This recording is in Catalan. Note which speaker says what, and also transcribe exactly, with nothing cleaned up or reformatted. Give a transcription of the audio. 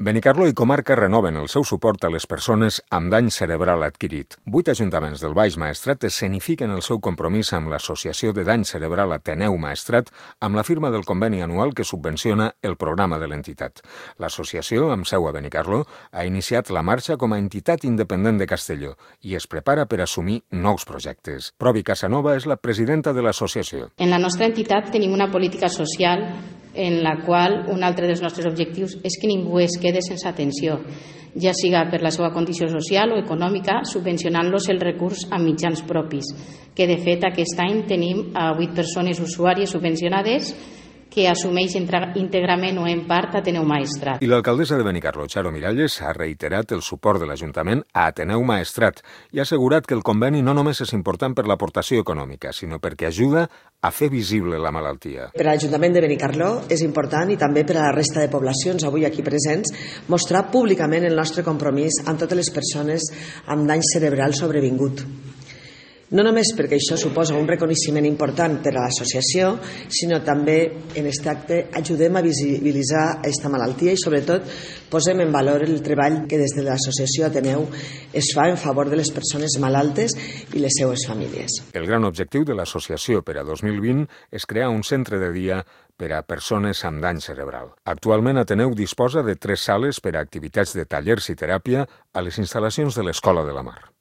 Speaker 1: Benicarló i comarca renoven el seu suport a les persones amb dany cerebral adquirit. Vuit ajuntaments del Baix Maestrat escenifiquen el seu compromís amb l'Associació de Dany Cerebral Ateneu Maestrat amb la firma del conveni anual que subvenciona el programa de l'entitat. L'associació, amb seu a Benicarló, ha iniciat la marxa com a entitat independent de Castelló i es prepara per assumir nous projectes. Provi Casanova és la presidenta de l'associació.
Speaker 2: En la nostra entitat tenim una política social en la qual un altre dels nostres objectius és que ningú es quede sense atenció, ja siga per la seva condició social o econòmica, subvencionant-los el recurs amb mitjans propis, que de fet aquest any tenim a vuit persones usuàries subvencionades que assumeix íntegrament o en part Ateneu Maestrat.
Speaker 1: I l'alcaldessa de Benicarló, Charo Miralles, ha reiterat el suport de l'Ajuntament a Ateneu Maestrat i ha assegurat que el conveni no només és important per l'aportació econòmica, sinó perquè ajuda a fer visible la malaltia.
Speaker 3: Per a l'Ajuntament de Benicarló és important, i també per a la resta de poblacions avui aquí presents, mostrar públicament el nostre compromís amb totes les persones amb dany cerebral sobrevingut. No només perquè això suposa un reconeixement important per a l'associació, sinó també en aquest acte ajudem a visibilitzar aquesta malaltia i sobretot posem en valor el treball que des de l'associació Ateneu es fa en favor de les persones malaltes i les seues famílies.
Speaker 1: El gran objectiu de l'associació per a dos mil vint és crear un centre de dia per a persones amb dany cerebral. Actualment Ateneu disposa de tres sales per a activitats de tallers i teràpia a les instal·lacions de l'Escola de la Mar.